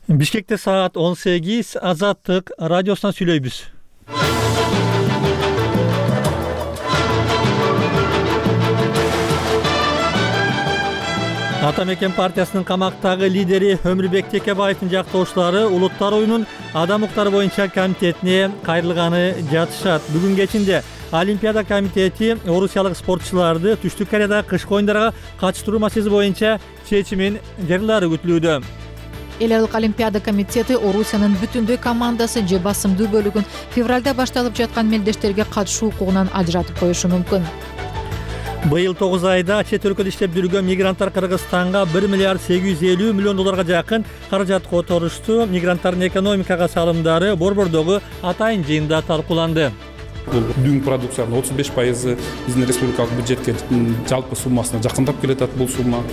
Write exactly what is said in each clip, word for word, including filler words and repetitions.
Бишкекте саат он сегиз, Азаттык радиосунан сүйлөйбүз. Ата Мекен партиясынын камактагы лидери Өмүрбек Текебаевдин жактоочулары Улуттар оюнунун адам укуктары боюнча комитетине кайрылганы жатышат. Бүгүн кечинде Олимпиада комитети орусиялык спортчуларды Түштүк Кореядагы кышкы оюндарга катыштыруу маселеси боюнча чечимин жарыялаары күтүлүүдө. Эл аралык Олимпиада комитети Орусиянын бүтүндөй командасы же басымдуу бөлүгүн февралда башталып жаткан мелдештерге катышуу укугунан ажыратып коюшу мүмкүн. Быйыл тогуз айда чет өлкөдө иштеп жүргөн мигранттар Кыргызстанга бир миллиард сегиз жүз элүү миллион долларга жакын каражат которушту. Мигранттардын экономикага салымдары Борбордогу атайын жыйында талкууланды. Бул дүң продукциянын отуз беш пайызы биздин республикалык бюджетке жалпы суммасына жакындап келатат бул сумма.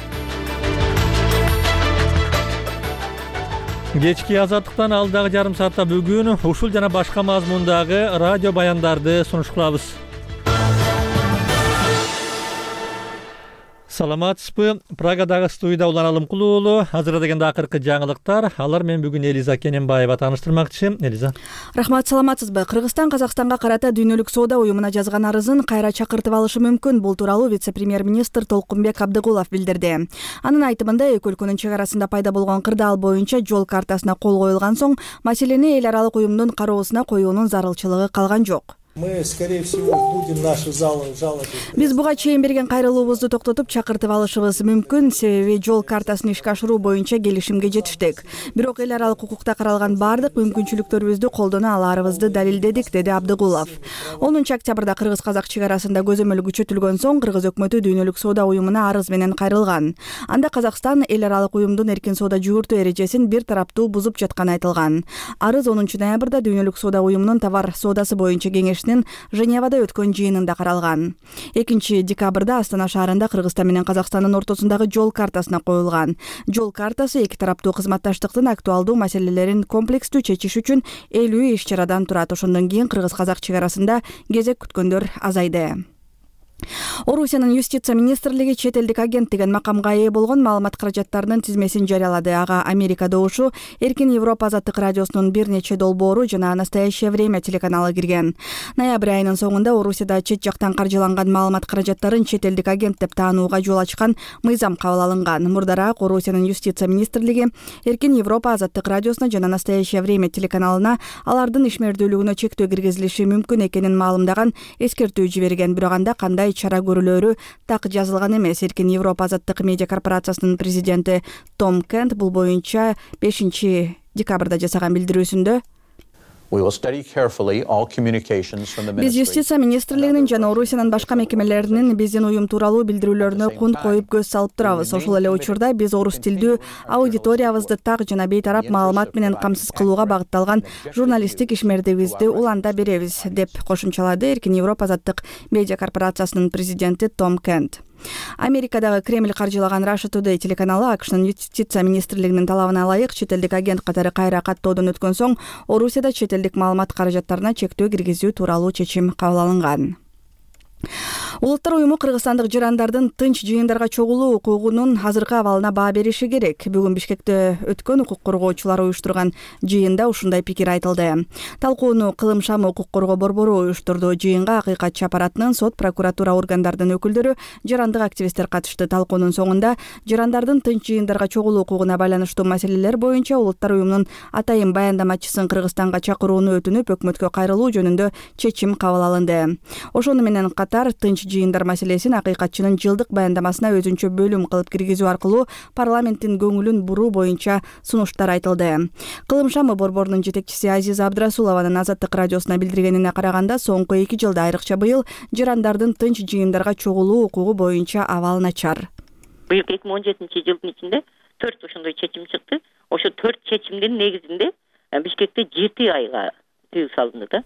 Кечки Азаттыктан алдагы жарым саатта бүгүн ушул жана башка мазмундагы радио баяндарды сунуш кылабыз. Саламатсызбы? Прагадагы студияда Улан Алымкул уулу азырдагенде акыркы жаңылыктар. Алар мен бүгүн Элиза Кененбаева тааныштырмакчы. Элиза. Рахмат, саламатсызбы? Кыргызстан Казакстанга карата Дүйнөлүк соода уюмуна жазган арызын кайра чакыртып алышы мүмкүн. Бул тууралуу вице-премьер-министр Толкунбек Абдыгулов билдирди. Анын айтымында эки өлкөнүн чек арасында пайда болгон кырдаал боюнча жол картасына кол коюлган соң маселени эл аралык уюмдун кароосуна коюунун зарылчылыгы калган жок. Мы, скорее всего, будем наши жалобы. Биз буга чейин берген кайрылуубузду токтотуп чакыртып алышыбыз мүмкүн, себеби жол картасын ишке ашыруу боюнча келишимге жетиштик. Бирок эл аралык укукта каралган бардык мүмкүнчүлүктөрүбүздү колдоно аларыбызды далилдедик, деди Абдыгулов. онунчу октябрда кыргыз-казак чек арасында көзөмөл күчөтүлгөн соң Кыргыз өкмөтү Дүйнөлүк соода уюмуна арыз менен кайрылган. Анда Казакстан эл аралык уюмдун эркин соода жүгүртүү эрежесин бир тараптуу бузуп жатканы айтылган. Арыз онунчу ноябрда Дүйнөлүк соода уюмунун товар соодасы боюнча кеңеш Женевада өткөн жыйынында каралган. экинчи декабрда Астана шаарында Кыргызстан менен Казакстандын ортосундагы жол картасына коюлган. Жол картасы эки тараптуу кызматташтыктын актуалдуу маселелерин комплекстүү чечиш үчүн элүү иш-чарадан турат. Ошондон кийин кыргыз-казак чек арасында кезек күткөндөр азайды. Орусиянын юстиция министрлиги чет элдик агент деген макамга ээ болгон маалымат каражаттарынын тизмесин жарыялады. Ага Америка добушу, Эркин Европа азаттык радиосунун бир нече долбоору жана Настоящее время телеканалы кирген. Ноябрь айынын соңунда Орусияда чет жактан каржыланган маалымат каражаттарын чет элдик агент деп таанууга жол ачкан мыйзам кабыл алынган. Мурдараак Орусиянын юстиция министрлиги Эркин Европа азаттык радиосуна жана Настоящее время телеканалына алардын ишмердүүлүгүнө чектөө киргизилиши мүмкүн экенин маалымдаган, эскертүү жиберген. Бирок анда кандай чара көрүлөрү так жазылган эмес. Эркин Европа азаттык медиа корпорациясынын президенти Том Кент бул боюнча бешинчи декабрда жасаган билдирүүсүндө биз юстиция министрлигинин жана Орусиянын башка мекемелеринин биздин уюм тууралуу билдирүүлөрүнө кунт коюп көз салып турабыз. Ошол эле учурда биз орус тилдүү аудиториябызды так жана бейтарап маалымат менен камсыз кылууга багытталган журналисттик ишмердигибизди уланда беребиз, деп кошумчалады Эркин Европа азаттык медиа корпорациясынын президенти Том Кент. Америкадагы Кремль каржылаган Russia Today телеканалы АКШнын юстиция министрлигинин талабына ылайык чет элдик агент катары кайра каттоодон өткөн соң Орусияда чет элдик маалымат каражаттарына чектөө киргизүү тууралуу чечим кабыл алынган. Улуттар уюму кыргызстандык жарандардын тынч жыйындарга чогулуу укугунун азыркы абалына баа бериши керек. Бүгүн Бишкекте өткөн укук коргоочулар уюштурган жыйында ушундай пикир айтылды. Талкууну Кылым шамы укук коргоо борбору уюштурду. Жыйынга акыйкатчы аппараттын, сот, прокуратура органдардын өкүлдөрү, жарандык активисттер катышты. Талкуунун соңунда жарандардын тынч жыйындарга чогулуу укугуна байланыштуу маселелер боюнча Улуттар уюмунун атайын баяндамачысын Кыргызстанга чакырууну өтүнүп, өкмөткө кайрылуу жөнүндө чечим кабыл алынды. Ошону менен катар тынч жыйындар маселесин акыйкатчынын жылдык баяндамасына өзүнчө бөлүм кылып киргизүү аркылуу парламенттин көңүлүн буруу боюнча сунуштар айтылды. Кылым шамы борборунун жетекчиси Азиза Абдрасулованын Азаттык радиосуна билдиргенине караганда, соңку эки жылда, айрыкча быйыл, жарандардын тынч жыйындарга чогулуу укугу боюнча абал начар. Быйыл эки миң он жетинчи жылдын ичинде төрт ошондой чечим чыкты. Ошо төрт чечимдин негизинде Бишкекте жети айга тыюу салынды да.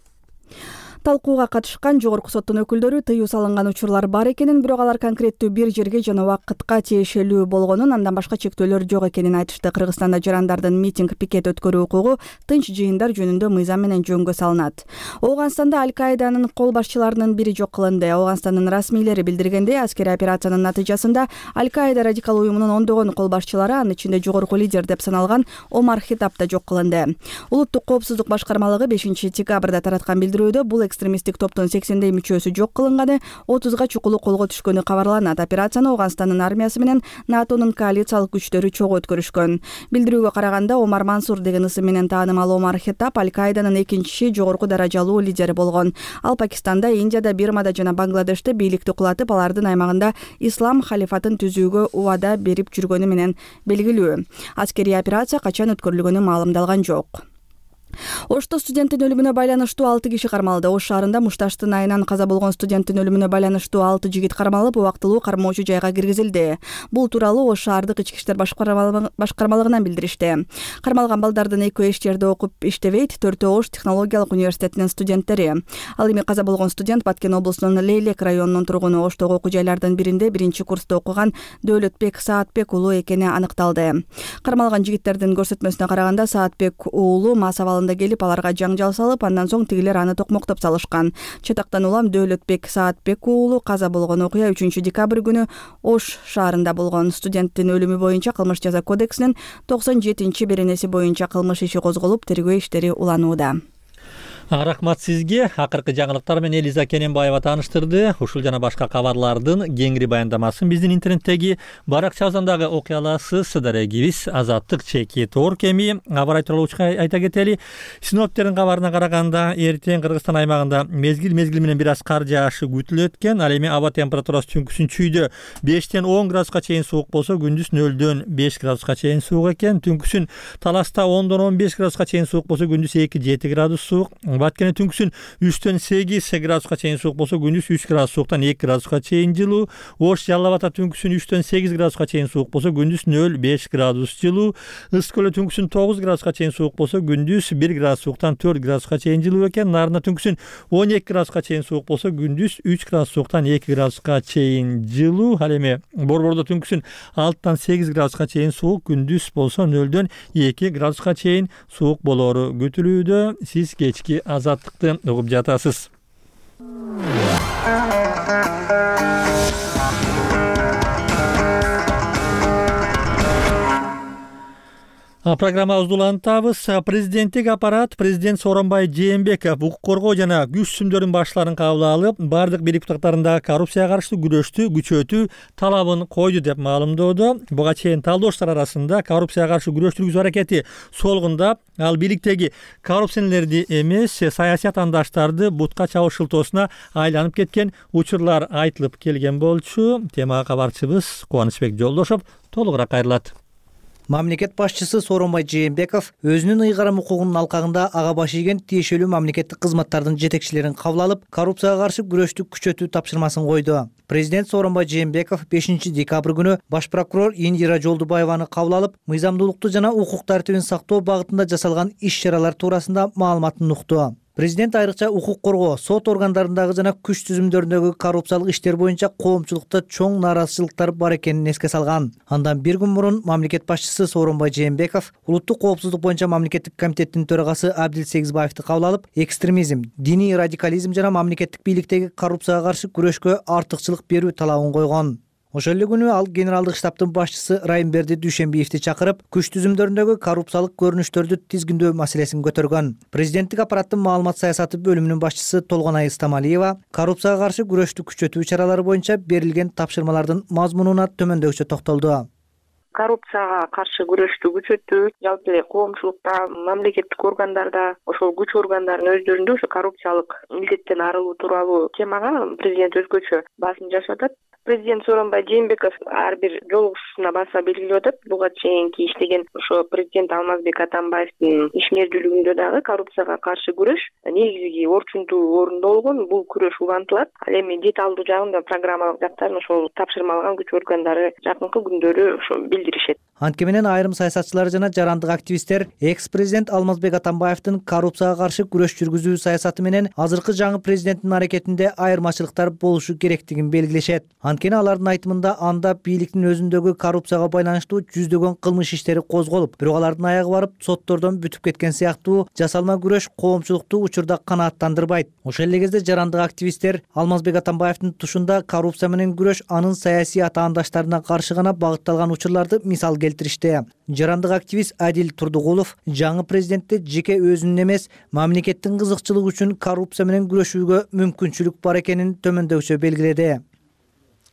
Талкууга катышкан жогорку соттун өкүлдөрү тыюу салынган учурлар бар экенин, бирок алар конкреттүү бир жерге жана убакытка тиешелүү болгонун, андан башка чектөөлөр жок экенин айтышты. Кыргызстанда жарандардын митинг, пикет өткөрүү укугу тынч жыйындар жөнүндө мыйзам менен жөнгө салынат. Ооганстанда Аль-Каиданын кол башчыларынын бири жок кылынды. Ооганстандын расмийлери билдиргендей, аскерий операциянын натыйжасында Аль-Каида радикал уюмунун ондогон кол башчылары, анын ичинде жогорку лидер деп саналган Омар Хитап да жок кылынды. Улуттук коопсуздук башкармалыгы бешинчи декабрда тараткан билдирүүдө бул экстремисттик топтун сексендей мүчөсү жок кылынганы, отузга чукулу колго түшкөнү кабарланат. Операцияны Ооганстандын армиясы менен НАТОнун коалициялык күчтөрү чогуу өткөрүшкөн. Билдирүүгө караганда, Омар Мансур деген ысым менен таанымал Омар Хитап Аль-Каиданын экинчи жогорку даражалуу лидери болгон. Ал Пакистанда, Индияда, Бирмада жана Бангладеште бийликти кулатып, алардын аймагында ислам халифатын түзүүгө убада берип жүргөнү менен белгилүү. Аскерий операция качан өткөрүлгөнү маалымдалган жок. Ошто студенттин өлүмүнө байланыштуу алты киши кармалды. Ош шаарында мушташтын айынан каза болгон студенттин өлүмүнө байланыштуу алты жигит кармалып, убактылуу кармоочу жайга киргизилди. Бул тууралуу Ош шаардык ички иштер башкармалыгынан билдиришти. Кармалган балдардын экөө эч жерде окуп иштебейт, төртөө Ош технологиялык университетинин студенттери. Ал эми каза болгон студент Баткен облусунун Лейлек районунун тургуну. Оштогу окуу жайлардын биринде биринчи курста окуган Дөөлөтбек Саатбек уулу экени аныкталды. Кармалган жигиттердин көрсөтмөсүнө караганда, Саатбек уулу мас абалында келип, аларга жаңжал салып, андан соң тигилер аны токмоктоп салышкан. Чатактан улам Дөөлөтбек Саатбек уулу каза болгон окуя үчүнчү декабрь күнү Ош шаарында болгон. Студенттин өлүмү боюнча Кылмыш жаза кодексинин токсон жетинчи беренеси боюнча кылмыш иши козголуп, тергөө иштери уланууда. Рахмат сизге. Акыркы жаңылыктар менен Элиза Кененбаева тааныштырды. Ушул жана башка кабарлардын кеңири баяндамасын биздин интернеттеги баракчабыздан дагы окуй аласыз. Дарегибиз Азаттык чеки Торк. Эми абар айтылуучу айта кетели. Синоптиктердин кабарына караганда, эртең Кыргызстан аймагында мезгил мезгил менен бир аз кар жаашы күтүлөт экен. Ал эми аба температурасы түнкүсүн чүйдө бештен он градуска чейин суук болсо, күндүз нөлдөн беш градуска чейин суук экен. Түнкүсүн Таласта ондон он беш градуска чейин суук болсо, күндүз эки жети градус суук. Баткенде түнкүсүн үчтөн сегиз градуска чейин суук болсо, күндүз үч градус сууктан эки градуска чейин жылуу. Ош Жалал Абадта түнкүсүн үчтөн сегиз градуска чейин суук болсо, күндүз нөл беш градус жылуу. Ысык көлдө түнкүсүн тогуз градуска чейин суук болсо, күндүз бир градус сууктан төрт градуска чейин жылуу экен. Нарында түнкүсүн он эки градуска чейин суук болсо, күндүз үч градус сууктан эки градуска чейин жылуу. Ал эми Борбордо түнкүсүн алтыдан сегиз градуска чейин суук, күндүз болсо нөлдөн эки градуска чейин суук болору күтүлүүдө. Сиз кечки Азаттыкты угуп жатасыз. Программабызды улантабыз. Президенттик аппарат президент Сооронбай Жээнбеков укук коргоо жана күч сүмдөрдүн башталарын кабыл алып, бардык бийлик бутактарында коррупцияга каршы күрөштү күчөтүү талабын койду деп маалымдоодо. Буга чейин талдоочулар арасында коррупцияга каршы күрөш жүргүзүү аракети солгундап, ал бийликтеги коррупционерлерди эмес, саясий атаандаштарды бутка чабыш шылтоосуна айланып кеткен учурлар айтылып келген болчу. Темага кабарчыбыз Кубанычбек Жолдошов толугураак кайрылат. Мамлекет башчысы Сооронбай Жээнбеков өзүнүн ыйгарым укугунун алкагында ага баш ийген тиешелүү мамлекеттик кызматтардын жетекчилерин кабыл алып, коррупцияга каршы күрөштү күчөтүү тапшырмасын койду. Президент Сооронбай Жээнбеков бешинчи декабрь күнү баш прокурор Индира Жолдубаеваны кабыл алып, мыйзамдуулукту жана укук тартибин сактоо багытында жасалган иш-чаралар туурасында маалыматын укту. Президент айрыкча укук коргоо, сот органдарындагы жана күч түзүмдөрүндөгү коррупциялык иштер боюнча коомчулукта чоң нааразычылыктар бар экенин эске салган. Андан бир күн мурун мамлекет башчысы Сооронбай Жээнбеков улуттук коопсуздук боюнча мамлекеттик комитеттин төрагасы Абдил Сегизбаевди кабыл алып, экстремизм, диний радикализм жана мамлекеттик бийликтеги коррупцияга каршы күрөшкө артыкчылык берүү талабын койгон. Ошол эле күнү ал генералдык штабтын башчысы Райымберди Дүйшөнбиевди чакырып, күч түзүмдөрүндөгү коррупциялык көрүнүштөрдү тизгиндөө маселесин көтөргөн. Президенттик аппараттын маалымат саясаты бөлүмүнүн башчысы Толгонай Стамалиева коррупцияга каршы күрөштү күчөтүү чаралары боюнча берилген тапшырмалардын мазмунуна төмөндөгүчө токтолду. Коррупцияга каршы күрөштү күчөтүү, жалпы эле коомчулукта, мамлекеттик органдарда, ошол күч органдарынын өздөрүндө ошо коррупциялык илдеттен арылуу тууралуу темага президент өзгөчө басым жасап атат. Президент Сооронбай Жээнбеков ар бир жолугушуусуна баса белгилеп атат. Буга чейинки иштеген ошо президент Алмазбек Атамбаевдин ишмердүүлүгүндө дагы коррупцияга каршы күрөш негизги орчундуу орунда болгон. Бул күрөш улантылат. Ал эми деталдуу жагында программалык жактарын ошол тапшырма алган күч органдары жакынкы күндөрү ошо билдиришет. Анткени менен айрым саясатчылар жана жарандык активисттер экс президент Алмазбек Атамбаевдин коррупцияга каршы күрөш жүргүзүү саясаты менен азыркы жаңы президенттин аракетинде айырмачылыктар болушу керектигин белгилешет. Анткени алардын айтымында анда бийликтин өзүндөгү коррупцияга байланыштуу жүздөгөн кылмыш иштери козголуп, бирок алардын аягы барып соттордон бүтүп кеткен сыяктуу жасалма күрөш коомчулукту учурда канааттандырбайт. Ошол эле кезде жарандык активисттер Алмазбек Атамбаевдин тушунда коррупция менен күрөш анын саясий атаандаштарына каршы гана багытталган учурларды мисал келтиришти. Жарандык активист Адил Турдугулов жаңы президентте жеке өзүнүн эмес, мамлекеттин кызыкчылыгы үчүн коррупция менен күрөшүүгө мүмкүнчүлүк бар экенин төмөндөгүчө белгиледи.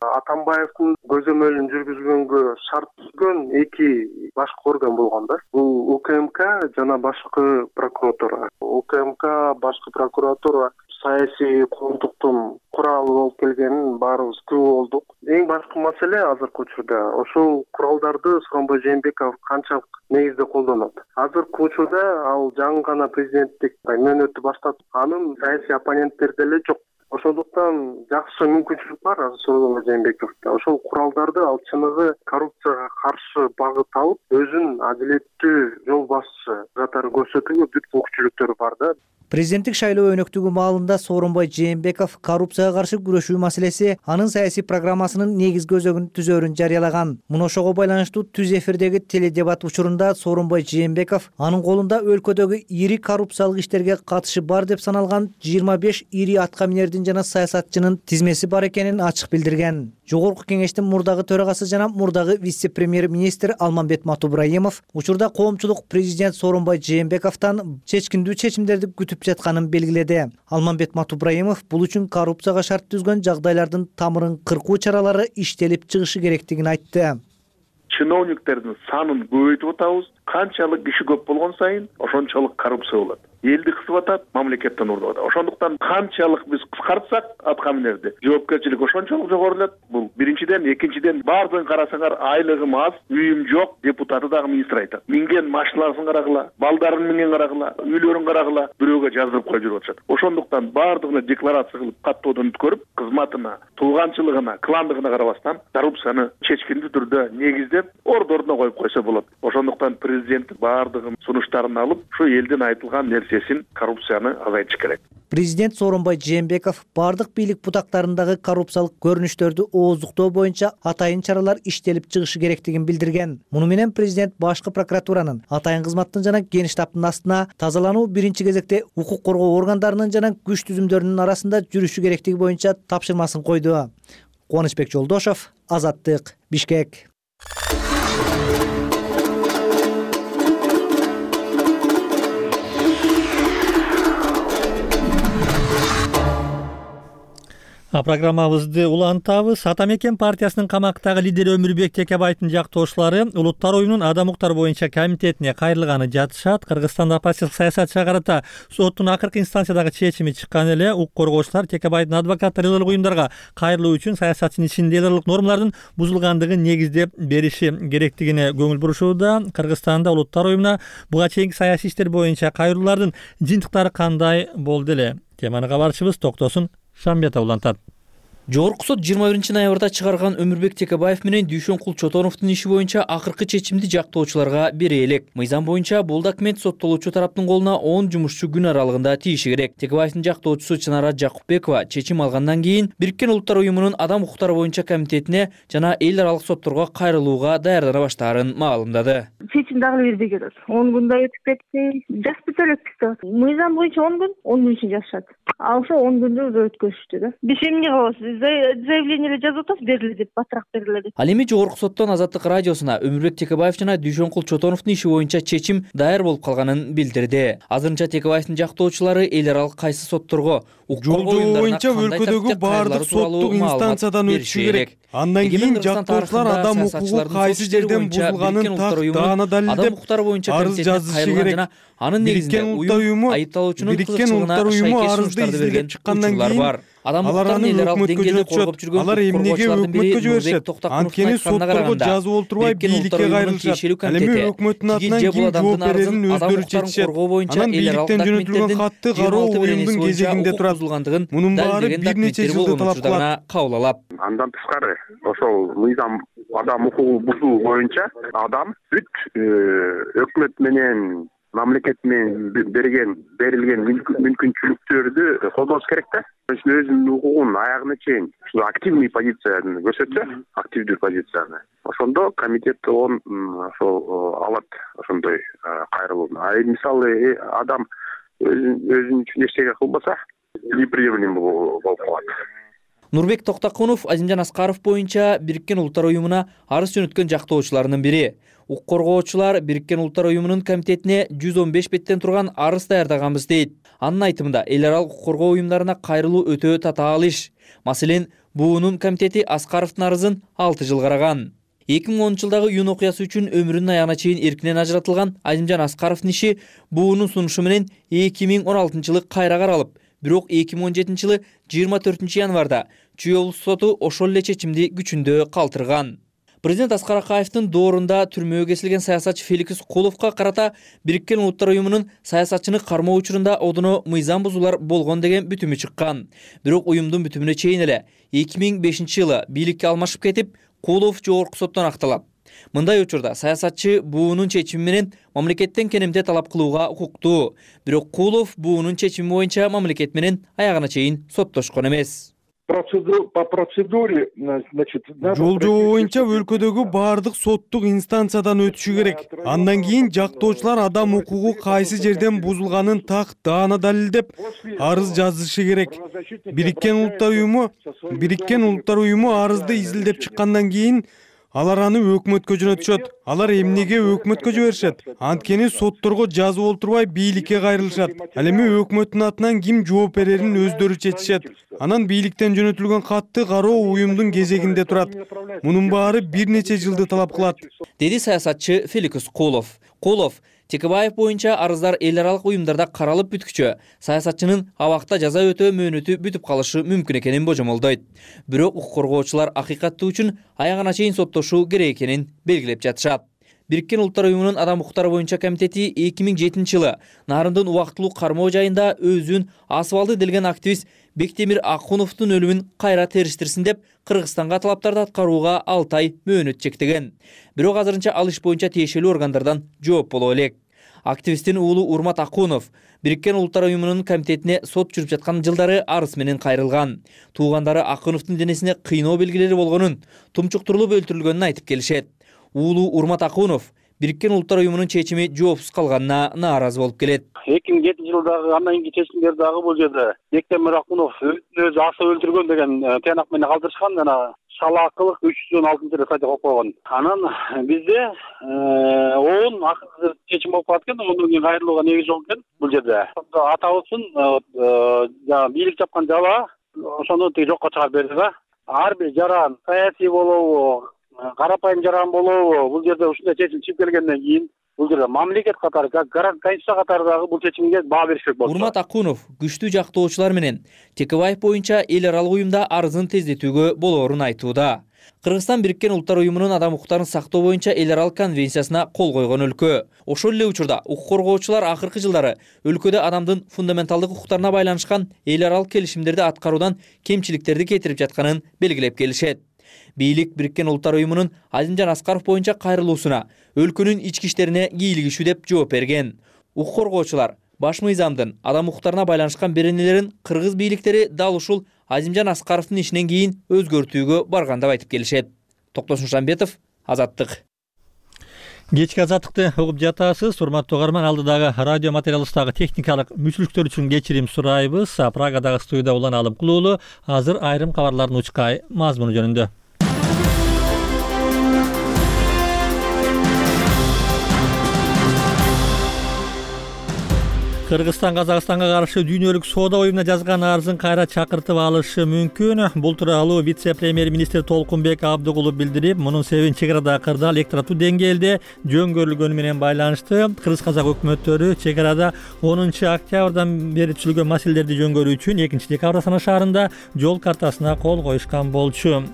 Атамбаевдин көзөмөлүн жүргүзгөнгө шарт түзгөн эки башкы орган болгон да. Бул УКМК жана башкы прокуратура. УКМК, башкы прокуратура саясий коомдуктун куралы болуп келгенин баарыбыз күбө болдук. Эң башкы маселе азыркы учурда ошол куралдарды Сооронбай Жээнбеков канчалык негизде колдонот. Азыркы учурда ал жаңы гана президенттик мөөнөтү баштап, анын саясий оппоненттери деле жок. Ошондуктан жакшы мүмкүнчүлүк бар Сооронбай Жээнбековдо. Ошол куралдарды ал чыныгы коррупцияга каршы багыт алып, өзүн адилеттүү жол башчы катары көрсөтүүгө бүт мүмкүнчүлүктөрү бар да. Президенттик шайлоо өнөктүгү маалында Сооронбай Жээнбеков коррупцияга каршы күрөшүү маселеси анын саясий программасынын негизги өзөгүн түзөөрүн жарыялаган. Муну ошого байланыштуу түз эфирдеги теледебат учурунда Сооронбай Жээнбеков анын колунда өлкөдөгү ири коррупциялык иштерге катышы бар деп саналган жыйырма беш ири атка минердин жана саясатчынын тизмеси бар экенин ачык билдирген. Жогорку кеңештин мурдагы төрагасы жана мурдагы вице-премьер-министр Алмамбет Матубраимов учурда коомчулук президент Сооронбай Жээнбековдон чечкиндүү чечимдерди күтүп жатканын белгиледи. Алмамбет Матубраимов бул үчүн коррупцияга шарт түзгөн жагдайлардын тамырын кыркуу чаралары иштелип чыгышы керектигин айтты. Чиновниктердин санын көбөйтүп атабыз. Канчалык киши көп болгон сайын ошончолук коррупция болот. Элди кысып атат, мамлекеттен урдуп атат. Ошондуктан канчалык биз кыскартсак атка минерди, жоопкерчилик ошончолук жогорулат. Бул биринчиден, экинчиден баардыгын карасаңар айлыгым аз, үйүм жок, депутаты дагы министр айтат. Минген машиналарын карагыла, балдарын минген карагыла, үйлөрүн карагыла, бирөөгө жаздырып коюп жүрүп атышат. Ошондуктан баардыгына декларация кылып, каттоодон өткөрүп, кызматына, тууганчылыгына, кландыгына карабастан коррупцияны чечкиндүү түрдө негиздеп, орду ордуна коюп койсо болот. Ошондуктан президент баардыгын сунуштарын алып, ушу элдин айтылган нерсесин, коррупцияны азайтыш керек. Президент Сооронбай Жээнбеков бардык бийлик бутактарындагы коррупциялык көрүнүштөрдү ооздуктоо боюнча атайын чаралар иштелип чыгышы керектигин билдирген. Муну менен президент башкы прокуратуранын, атайын кызматтын жана генерал штабтын астына тазалануу биринчи кезекте укук коргоо органдарынын жана күч түзүмдөрүнүн арасында жүрүшү керектиги боюнча тапшырмасын койду. Кубанычбек Жолдошов, Азаттык, Бишкек. А программабызды улантабыз. Ата мекен партиясынын камактагы лидери Өмүрбек Текебаевдин жактоошулары Улуттар уюмунун адам укуктары боюнча комитетине кайрылганы жатышат. Кыргызстанда оппозициялык саясатчыга карата соттун акыркы инстанциядагы чечими чыккан эле укук коргоочулар Текебаевдин адвокаттары элдик уюмдарга кайрылуу үчүн саясатчынын ичинде элдик нормалардын бузулгандыгын негиздеп бериши керектигине көңүл бурушууда. Кыргызстанда Улуттар уюмуна буга чейинки саясий иштер боюнча кайрылуулардын жыйынтыктары кандай болду эле? Теманы кабарчыбыз Токтосун Шамбетов улантат. Жогорку сот жыйырма биринчи ноябрда чыгарган Өмүрбек Текебаев менен Дүйшөнкул Чотоновдун иши боюнча акыркы чечимди жактоочуларга бере элек. Мыйзам боюнча бул документ соттолуучу тараптын колуна он жумушчу күн аралыгында тийиши керек. Текебаевдин жактоочусу Чынара Жакупбекова чечим алгандан кийин Бириккен Улуттар уюмунун адам укуктары боюнча комитетине жана эл аралык сотторго кайрылууга даярдана баштаарын маалымдады. Чечим дагы бирдей келет. он күндөй өтүп кетти. Жазып элекпиз деп. Мыйзам боюнча он күн, он күн ичинде жазышат. А ошо он күндү өткөрүштү да. Биз эмне кылабыз? Заявление эле жазып атабыз, бериле деп, батыраак бериле деп. Ал эми Жогорку соттон Азаттык радиосуна Өмүрбек Текебаев жана Дүйшөнкул Чотоновдун иши боюнча чечим даяр болуп калганын билдирди. Азырынча Текебаевдин жактоочулары эл аралык кайсы сотторго, укук боюнча өлкөдөгү баардык соттук инстанциядан өтүшү керек. Андан кийин жактоочулар адам укугу кайсы жерден бузулганын так даана далилдеп арыз жазышы керек. Анын негизинде уюм айыпталуучунун кызыкчылыгына шайкеш сунуштарды берген учурлар бар. Адам укуктарын эл аралык деңгээлде коргоп жүргөн алар эмнеге өкмөткө жиберишет? Анткени сотторго жазып олтурбай бийликке кайрылышат. Ал эми өкмөттүн атынан ким жооп берерин өздөрү чечишет. Анан бийликтен жөнөтүлгөн катты кароо уюмдун кезегинде турат. Мунун баары бир нече жылды талап кылат. Кабыл алат. Андан тышкары ошол мыйзам адам укугу бузуу боюнча адам бүт өкмөт менен мамлекет менен берген берилген мүмкүнчүлүктөрдү колдош керек да. Өзүнүн укугун аягына чейин активный позицияны көрсөтсө, активдүү позицияны, ошондо комитет он ошол алат ошондой кайрылууну. А мисалы адам өзүнүн үчүн эчтеке кылбаса, неприемлем болуп калат. Нурбек Токтокунов Азимжан Аскаров боюнча Бириккен Улуттар уюмуна арыз жөнөткөн жактоочулардын бири. Укук коргоочулар Бириккен Улуттар уюмунун комитетине жүз он беш беттен турган арыз даярдаганбыз дейт. Анын айтымында эл аралык укук коргоо уюмдарына кайрылуу өтө татаал иш. Маселен, буунун комитети Аскаровдун арызын алты жыл караган. эки миң онунчу жылдагы июнь окуясы үчүн өмүрүнүн аягына чейин эркинен ажыратылган Азимжан Аскаровдун иши буунун сунушу менен эки миң он алтынчы жылы кайра каралып, бирок эки миң он жетинчи жылы жыйырма төртүнчү январда Чүй облустук соту ошол эле чечимди күчүндө калтырган. Президент Аскар Акаевдин доорунда түрмөгө кесилген саясатчы Феликс Куловго карата Бириккен Улуттар уюмунун саясатчыны кармоо учурунда одуно мыйзам бузуулар болгон деген бүтүмү чыккан. Бирок уюмдун бүтүмүнө чейин эле эки миң бешинчи жылы бийликке алмашып кетип, Кулов жогорку соттон акталат. Мындай учурда саясатчы буунун чечими менен мамлекеттен кенемде талап кылууга укуктуу. Бирок Кулов буунун чечими боюнча мамлекет менен аягына чейин соттошкон эмес. По процедуре, значит, жол жобо боюнча өлкөдөгү баардык соттук инстанциядан өтүшү керек. Андан кийин жактоочулар адам укугу кайсы жерден бузулганын так даана далилдеп арыз жазышы керек. Бириккен Улуттар уюму Бириккен Улуттар уюму арызды изилдеп чыккандан кийин алар аны өкмөткө жөнөтүшөт. Алар эмнеге өкмөткө жиберишет? Анткени сотторго жазып олтурбай бийликке кайрылышат. Ал эми өкмөттүн атынан ким жооп берерин өздөрү чечишет. Анан бийликтен жөнөтүлгөн катты кароо уюмдун кезегинде турат. Мунун баары бир нече жылды талап кылат, деди саясатчы Феликс Кулов. Кулов Текебаев боюнча арыздар эл аралык уюмдарда каралып бүткүчө саясатчынын абакта жаза өтөө мөөнөтү бүтүп калышы мүмкүн экенин божомолдойт. Бирок укук коргоочулар акыйкаттуу үчүн аягына чейин соттошуу керек экенин белгилеп жатышат. Бириккен Улуттар уюмунун адам укуктары боюнча комитети эки миң жетинчи жылы Нарындын убактылуу кармоо жайында өзүн асыбалды делген активист Бектемир Акуновдун өлүмүн кайра териштирсин деп Кыргызстанга талаптарды аткарууга алты ай мөөнөт чектеген. Бирок азырынча ал иш боюнча тиешелүү органдардан жооп боло элек. Активисттин уулу Урмат Акунов Бириккен Улуттар уюмунун комитетине сот жүрүп жаткан жылдары арыз менен кайрылган. Туугандары Акуновдун денесине кыйноо белгилери болгонун, тумчуктурулуп өлтүрүлгөнүн айтып келишет. Уулу Урмат Акунов Бириккен Улуттар уюмунун чечими жоопсуз калганына нааразы болуп келет. эки миң жетинчи жылдагы андан кийинки чечимдер дагы бул жерде Бектемир Акунов өзү асып өлтүргөн деген тыянак менен калтырышкан, жана шалаакылык үч жүз он алтынчы статья коюп койгон. Анан бизде он акыркы чечим болуп калат экен, ондон кийин кайрылууга негиз жок экен бул жерде. Атабыздын жанагы бийлик жапкан жала ошону тиги жокко чыгарып берди да. Ар бир жаран саясий болобу, карапайым жаран болобу, бул жерде ушундай чечим чыгып келгенден кийин бул жерде мамлекет катары, конституция катары дагы бул чечимге баа беришек болду. Урмат Акунов күчтүү жактоочулар менен Текебаев боюнча эл аралык уюмда арызын тездетүүгө болоорун айтууда. Кыргызстан Бириккен Улуттар уюмунун адам укуктарын сактоо боюнча эл аралык конвенциясына кол койгон өлкө. Ошол эле учурда укук коргоочулар акыркы жылдары өлкөдө адамдын фундаменталдык укуктарына байланышкан эл аралык келишимдерди аткаруудан кемчиликтерди кетирип жатканын белгилеп келишет. Бийлик Бириккен Улуттар уюмунун Азимжан Аскаров боюнча кайрылуусуна өлкөнүн ички иштерине кийлигишүү деп жооп берген. Укук коргоочулар баш мыйзамдын адам укуктарына байланышкан беренелерин кыргыз бийликтери дал ушул Азимжан Аскаровдун ишинен кийин өзгөртүүгө барган деп айтып келишет. Токтосун Шамбетов, Азаттык. Кечки азаттыкты угуп жатасыз. Урматтуу угарман, алдыдагы радио материалыбыздагы техникалык мүчүлүктөр үчүн кечирим сурайбыз. Прагадагы студияда улан алып кулуулу. Азыр айрым кабарлардын учкай мазмуну жөнүндө. Кыргызстан Казакстанга каршы дүйнөлүк соода уюмуна жазган арызын кайра чакыртып алышы мүмкүн. Бул тууралуу вице-премьер-министр Толкунбек Абдыгулов билдирип, мунун себебин чек арада кырдаал электрондуу деңгээлде жөнгөрүлгөнү менен байланышты. Кыргыз-казак өкмөттөрү чек арада онунчу октябрдан бери түзүлгөн маселелерди жөнгөрүү үчүн экинчи декабрь Астана шаарында жол картасына кол коюшкан болчу.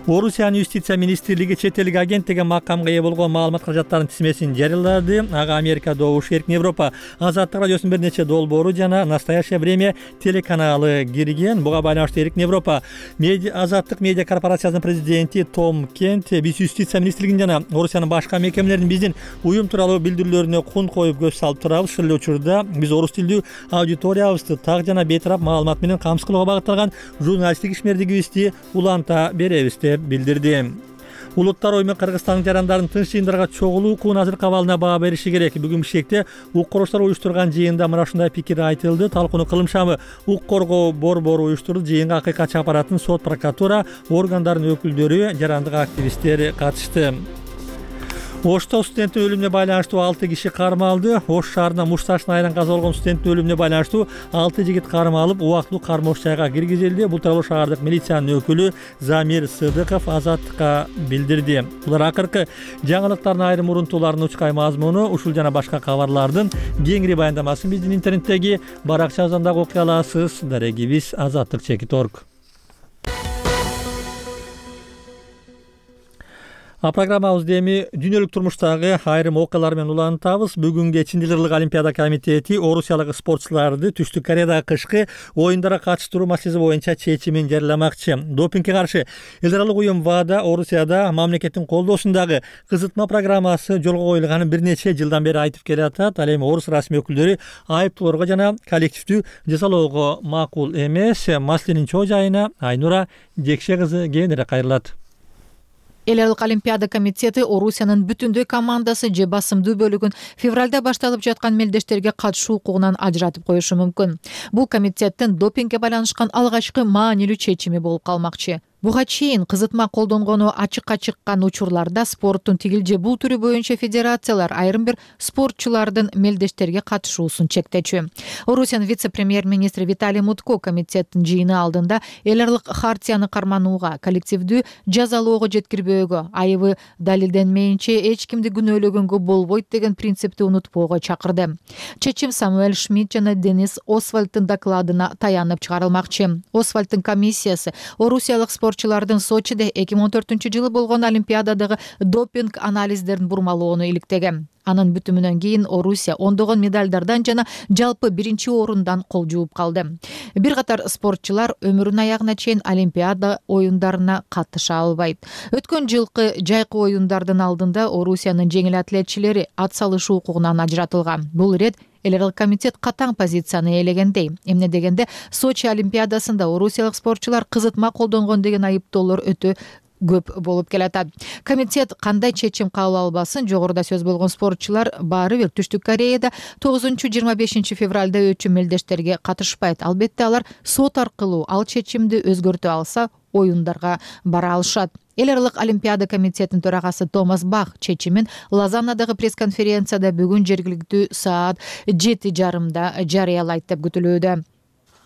Орусиянын юстиция министрлиги чет элдик агент деген макамга ээ болгон маалымат каражаттарынын тизмесин жарыялады. Ага Америка, Добуш Эркин Европа, Азаттык радиосунун бир нече долбоору жана «Настоящее время» телеканалы кирген. Буга байланыштуу Эркин Европа Азаттык медиа корпорациясынын президенти Том Кент биз юстиция министрлигинин жана Орусиянын башка мекемелеринин биздин уюм тууралуу билдирүүлөрүнө кун коюп көз салып турабыз. Ушул эле учурда биз орус тилдүү аудиториябызды так жана бейтарап маалымат менен камсыз кылууга багытталган журналисттик ишмердигибизди уланта беребиз деп билдирди. Улуттар уюму Кыргызстандын жарандарын тынч жыйындарга чогулуу укугунун азыркы абалына баа бериши керек. Бүгүн Бишкекте укук короштор уюштурган жыйында мына ушундай пикир айтылды. Талкууну Кылым шамы укук коргоо борбору уюштурду. Жыйынга акыйкатчы аппараттын сот, прокуратура органдарынын өкүлдөрү, жарандык активисттер катышты. Ошто студенттин өлүмүнө байланыштуу алты киши кармалды. Ош шаарында муш ташына айран каза болгон студенттин өлүмүнө байланыштуу алты жигит кармалып, убактылуу кармош жайга киргизилди. Бул тууралуу шаардык милициянын өкүлү Замир Сыдыков Азаттыкка билдирди. Булар акыркы жаңылыктардын айрым урунтууларынын учкай мазмуну. Ушул жана башка кабарлардын кеңири баяндамасын биздин интернеттеги баракчабыздан дагы окуй аласыз. Дарегибиз азаттык чекит точка орг. А программабызды эми дүйнөлүк турмуштагы айрым окуялар менен улантабыз. Бүгүн кечинде Элдералык Олимпиада комитети орусиялык спортчуларды Түштүк Кореядагы кышкы оюндарга катыштыруу маселеси боюнча чечимин жарыяламакчы. Допингге каршы Элдералык уюм ВАДА Орусияда мамлекеттин колдоосундагы кызытма программасы жолго коюлганын бир нече жылдан бери айтып келатат. Ал эми орус расмий өкүлдөрү айыптоолорго жана коллективдүү жазалоого макул эмес. Маселенин чоо жайына Айнура Жекше кызы кээинирээк кайрылат. Элдералык Олимпиада комитети Орусиянын бүтүндөй командасы же басымдуу бөлүгүн февралда башталып жаткан мелдештерге катышуу укугунан ажыратып коюшу мүмкүн. Бул комитеттин допингге байланышкан алгачкы маанилүү чечими болуп калмакчы. Буга чейин кызытма колдонгону ачыкка чыккан учурларда спорттун тигил же бул түрү боюнча федерациялар айрым бир спортчулардын мелдештерге катышуусун чектечү. Орусиянын вице-премьер-министри Виталий Мутко комитеттин жыйыны алдында элдералык хартияны карманууга, коллективдүү жазалоого жеткирбөөгө, айыбы далилденмейинче эч кимди күнөөлөгөнгө болбойт деген принципти унутпоого чакырды. Чечим Самуэль Шмидт жана Денис Освальдтын докладына таянып чыгарылмакчы. Освальдтын комиссиясы орусиялык спортчулардын Сочиде эки миң он төртүнчү жылы болгон Олимпиададагы допинг анализдерин бурмалоону иликтеген. Анын бүтүмүнөн кийин Орусия ондогон медальдардан жана жалпы биринчи орундан кол жууп калды. Бир катар спортчулар өмүрүнүн аягына чейин Олимпиада оюндарына катыша албайт. Өткөн жылкы жайкы оюндардын алдында Орусиянын жеңил атлетчилери ат салышуу укугунан ажыратылган. Бул ирет Элдералык комитет катаң позицияны ээлегендей. Эмне дегенде Сочи Олимпиадасында орусиялык спортчулар кызытма колдонгон деген айыптоолор өтө көп болуп келатат. Комитет кандай чечим кабыл албасын, жогоруда сөз болгон спортчулар баары бир Түштүк Кореяда тогузунчу жыйырма бешинчи февралда өтчү мелдештерге катышпайт. Албетте алар сот аркылуу ал чечимди өзгөртө алса, оюндарга бара алышат. Элдералык Олимпиада комитетинин төрагасы Томас Бах чечимин Лозаннадагы пресс-конференцияда бүгүн жергиликтүү саат жети жарымда жарыялайт деп күтүлүүдө.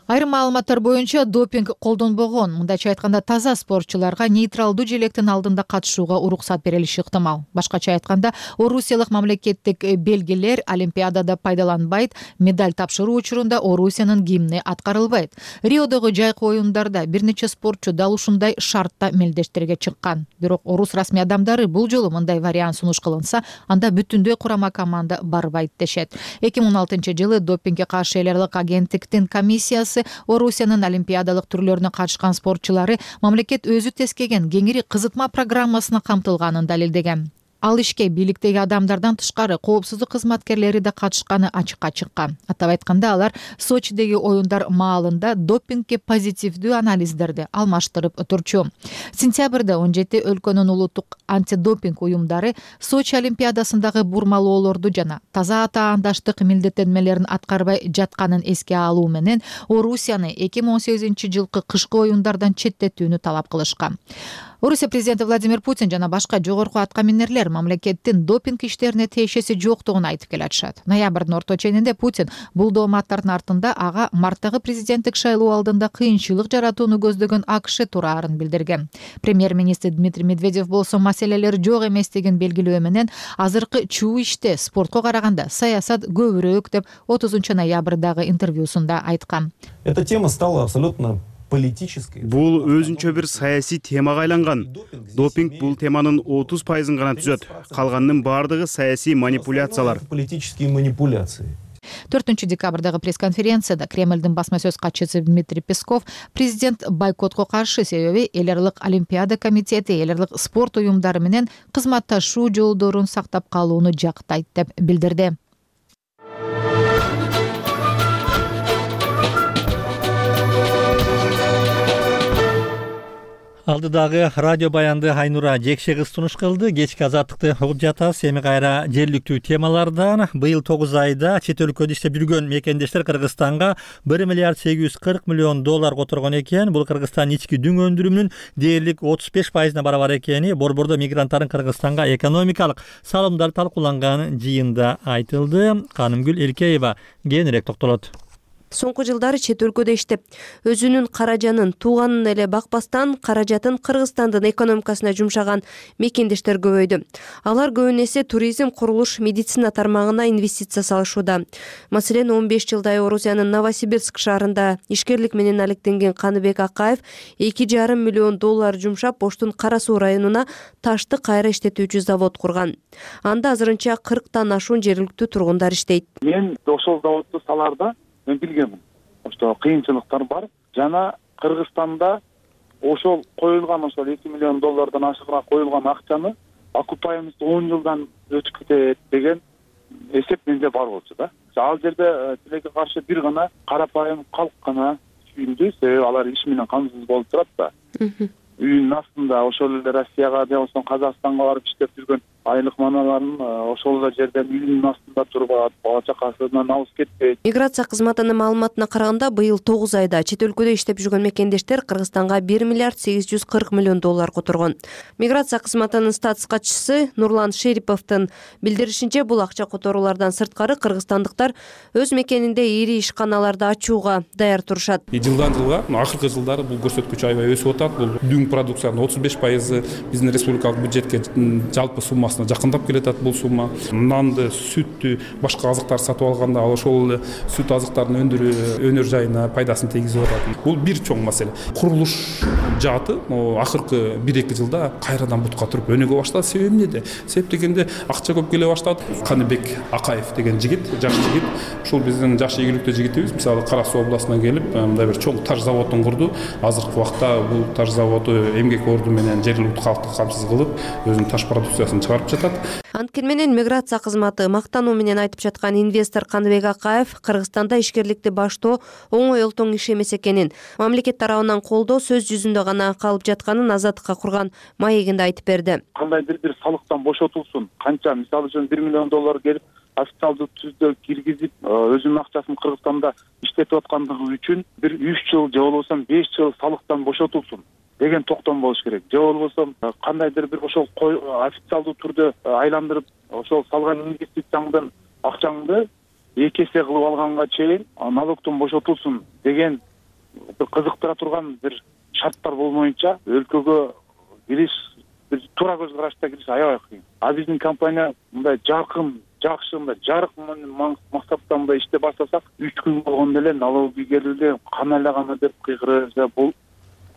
Айрым маалыматтар боюнча допинг колдонбогон, мындайча айтканда таза спортчуларга нейтралдуу желектин алдында катышууга уруксат берилиши ыктымал. Башкача айтканда, орусиялык мамлекеттик белгилер Олимпиадада пайдаланбайт, медаль тапшыруу учурунда Орусиянын гимни аткарылбайт. Риодогу жайкы оюндарда бир нече спортчу дал ушундай шартта мелдештерге чыккан. Бирок орус расмий адамдары бул жолу мындай вариант сунуш кылынса, анда бүтүндөй курама команда барбайт дешет. эки миң он алтынчы жылы допингге каршы элдералык агенттиктин комиссиясы Орусиянын олимпиадалык түрлөрүнө катышкан спортчулары мамлекет өзү тескеген кеңири кызытма программасына камтылганын далилдеген. Ал ишке бийликтеги адамдардан тышкары коопсуздук кызматкерлери да катышканы ачыкка чыккан. Атап айтканда, алар Сочидеги оюндар маалында допингге позитивдүү анализдерди алмаштырып турчу. Сентябрда он жети өлкөнүн улуттук антидопинг уюмдары Сочи Олимпиадасындагы бурмалоолорду жана таза атаандаштык милдеттенмелерин аткарбай жатканын эске алуу менен Орусияны эки миң он сегизинчи жылкы кышкы оюндардан четтетүүнү талап кылышкан. Орусия президенти Владимир Путин жана башка жогорку аткаминерлер мамлекеттин допинг иштерине тиешеси жоктугун айтып келатышат. Ноябрдын орто ченинде Путин бул дооматтардын артында ага марттагы президенттик шайлоо алдында кыйынчылык жаратууну көздөгөн АКШ тураарын билдирген. Премьер-министр Дмитрий Медведев болсо маселелер жок эместигин белгилөө менен азыркы чуу иште спортко караганда саясат көбүрөөк деп отузунчу ноябрдагы интервьюсунда айткан. Эта тема стала абсолютно Бул өзүнчө бир саясий темага айланган. Допинг бул теманын отуз пайызын гана түзөт. Калганынын бардыгы саясий манипуляциялар. Политические манипуляции. төртүнчү декабрдагы пресс-конференцияда Кремлдин басма сөз катчысы Дмитрий Песков президент бойкотко каршы, себеби эл аралык Олимпиада комитети эл аралык спорт уюмдары менен кызматташуу жолдорун сактап калууну жактайт деп билдирди. Алдыдагы радио баянды Айнура Жекше кыз сунуш кылды. Кечки азаттыкты угуп жатабыз. Эми кайра жергиликтүү темалардан. Быйыл тогуз айда чет өлкөдө иштеп жүргөн мекендештер Кыргызстанга бир миллиард сегиз жүз кырк миллион доллар которгон экен. Бул Кыргызстан ички дүң өндүрүмүнүн дээрлик отуз беш пайызына барабар экени борбордо мигранттардын Кыргызстанга экономикалык салымдары талкууланган жыйында айтылды. Канымгүл Элкеева кененирээк токтолот. Соңку жылдары чет өлкөдө иштеп, өзүнүн каражанын тууганын эле бакпастан каражатын Кыргызстандын экономикасына жумшаган мекендештер көбөйдү. Алар көбүн эсе туризм, курулуш, медицина тармагына инвестиция салышууда. Маселен, он беш жылдай Орусиянын Новосибирск шаарында ишкерлик менен алектенген Каныбек Акаев эки жарым миллион доллар жумшап, Оштун Кара Суу районуна ташты кайра иштетүүчү завод курган. Анда азырынча кырктан ашуун жергиликтүү тургундар иштейт. Мен ошол заводду салаарда мен билгенмин. Ошто кыйынчылыктар бар. Жана Кыргызстанда ошол коюлган ошол эки миллион доллардан ашыгыраак коюлган акчаны окупаемость он жылдан өтүп кетет деген эсеп менде бар болчу да. Ал жерде тилекке каршы бир гана карапайым калк гана сүйүндү, себеби алар иш менен камсыз болуп турат да. Үйүнүн астында ошол эле Россияга же болбосо Казакстанга барып иштеп жүргөн айлык маналарын ошол эле жерден үйүнүн астында туруп алат, бала чакасынан алыс кетпейт. Миграция кызматынын маалыматына караганда, быйыл тогуз айда чет өлкөдө иштеп жүргөн мекендештер Кыргызстанга бир миллиард сегиз жүз кырк миллион доллар которгон. Миграция кызматынын статус катчысы Нурлан Шериповдун билдиришинче, бул акча которуулардан сырткары кыргызстандыктар өз мекенинде ири ишканаларды ачууга даяр турушат. Жылдан жылга акыркы жылдары бул көрсөткүч аябай өсүп атат. Бул дүң продукциянын отуз беш пайызы биздин республикалык бюджетке жалпы суммасына жакындап келатат бул сумма. Нанды, сүттү, башка азыктар сатып алганда ошол эле сүт азыктарын өндүрүү өнөр жайына пайдасын тийгизип атат. Бул бир чоң маселе. Курулуш жааты акыркы бир эки жылда кайрадан бутка туруп өнүгө баштады. Себеби эмнеде? Себеп дегенде акча көп келе баштады. Каныбек Акаев деген жигит, жаш жигит, ушул биздин жаш ийгиликтүү жигитибиз, мисалы Кара Суу областына келип, мындай бир чоң таш заводун курду. Азыркы убакта бул таш заводу эмгек орду менен жергиликтүү калкты камсыз кылып, өзүнүн таш продукциясын чыгарып жатат. Анткени менен миграция кызматы мактануу менен айтып жаткан инвестор Каныбек Акаев Кыргызстанда ишкерликти баштоо оңой олтоң иш эмес экенин, мамлекет тарабынан колдоо сөз жүзүндө гана калып жатканын Азаттыкка курган маегинде айтып берди. Кандайдыр бир салыктан бошотулсун, канча мисалы үчүн бир миллион доллар келип официалдуу түздө киргизип, өзүнүн акчасын Кыргызстанда иштетип аткандыгы үчүн бир үч жыл же болбосо беш жыл салыктан бошотулсун деген токтом болуш керек. Же болбосо кандайдыр бир ошол официалдуу түрдө айландырып, ошол салган инвестицияңдын акчаңды эки эсе кылып алганга чейин налогтон бошотулсун деген бир кызыктыра турган бир шарттар болмоюнча өлкөгө кириш, бир туура көз карашта кириш аябай кыйын. А биздин компания мындай жаркын, жакшы, мындай жарык максатта мындай иште баштасак, үч күн болгондо эле налоги келди, кана эле кана деп кыйгырып, бул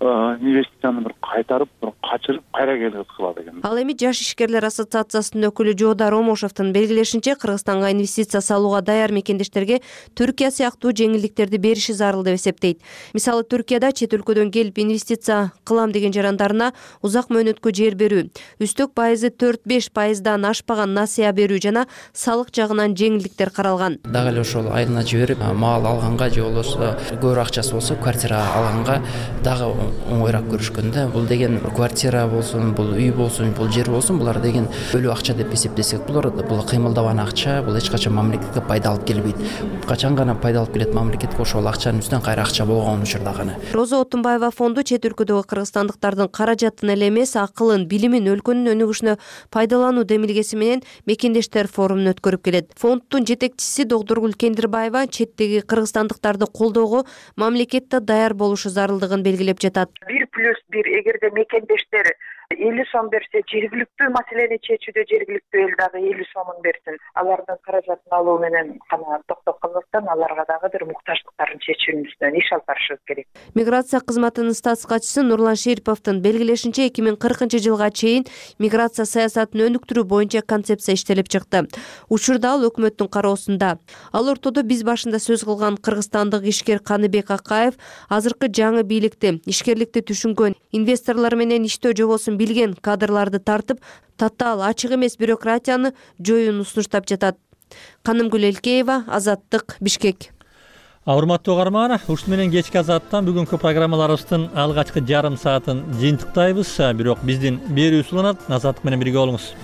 инвестицияны бир кайтарып, бир качырып, кайра келип кылат экен. Ал эми Жаш ишкерлер ассоциациясынын өкүлү Жоодар Омошовдун белгилешинче, Кыргызстанга инвестиция салууга даяр мекендештерге Түркия сыяктуу жеңилдиктерди бериши зарыл деп эсептейт. Мисалы, Түркияда чет өлкөдөн келип инвестиция кылам деген жарандарына узак мөөнөткө жер берүү, үстөк пайызы төрт-беш пайыздан ашпаган насыя берүү жана салык жагынан жеңилдиктер каралган. Дагы эле ошол айына жиберип, маал алганга же болбосо көбүрөөк акчасы болсо квартира алганга дагы оңойраак көрүшкөндө, бул деген квартира болсун, бул үй болсун, бул жер болсун, булар деген өлүү акча деп эсептесек болот. Бул кыймылдабан акча, бул эч качан мамлекетке пайда алып келбейт. Качан гана пайда алып келет мамлекетке ошол акчанын үстүнөн кайра акча болгон учурда гана. Роза Отунбаева фонду чет өлкөдөгү кыргызстандыктардын каражатын эле эмес, акылын, билимин өлкөнүн өнүгүшүнө пайдалануу демилгеси менен мекендештер форумун өткөрүп келет. Фонддун жетекчиси Догдургүл Кендирбаева четтеги кыргызстандыктарды колдоого мамлекетте даяр болушу зарылдыгын белгилеп жатат. Бир плюс бир, эгерде мекендештер элүү сом берсе, жергиликтүү маселени чечүүдө жергиликтүү эл дагы элүү сомун берсин. Алардын каражатын алуу менен гана токтоп калбастан аларга дагы бир муктаждыктарын чечүүнүздөн иш алып барышыбыз керек. Миграция кызматынын статс катчысы Нурлан Шериповдун белгилешинче эки миң кыркынчы жылга чейин миграция саясатын өнүктүрүү боюнча концепция иштелип чыкты. Учурда ал өкмөттүн кароосунда. Ал ортодо биз башында сөз кылган кыргызстандык ишкер Каныбек Акаев азыркы жаңы бийликти, ишкерликти түшүнгөн, инвесторлор менен иштөө жобосун билген кадрларды тартып, татаал, ачык эмес бюрократияны жоюуну сунуштап жатат. Канымгүл Элкеева, Азаттык, Бишкек. Урматтуу угарман, ушун менен кечки Азаттан бүгүнкү программаларыбыздын алгачкы жарым саатын жыйынтыктайбыз. Бирок биздин берүүбүз уланат. Азаттык менен бирге болуңуз.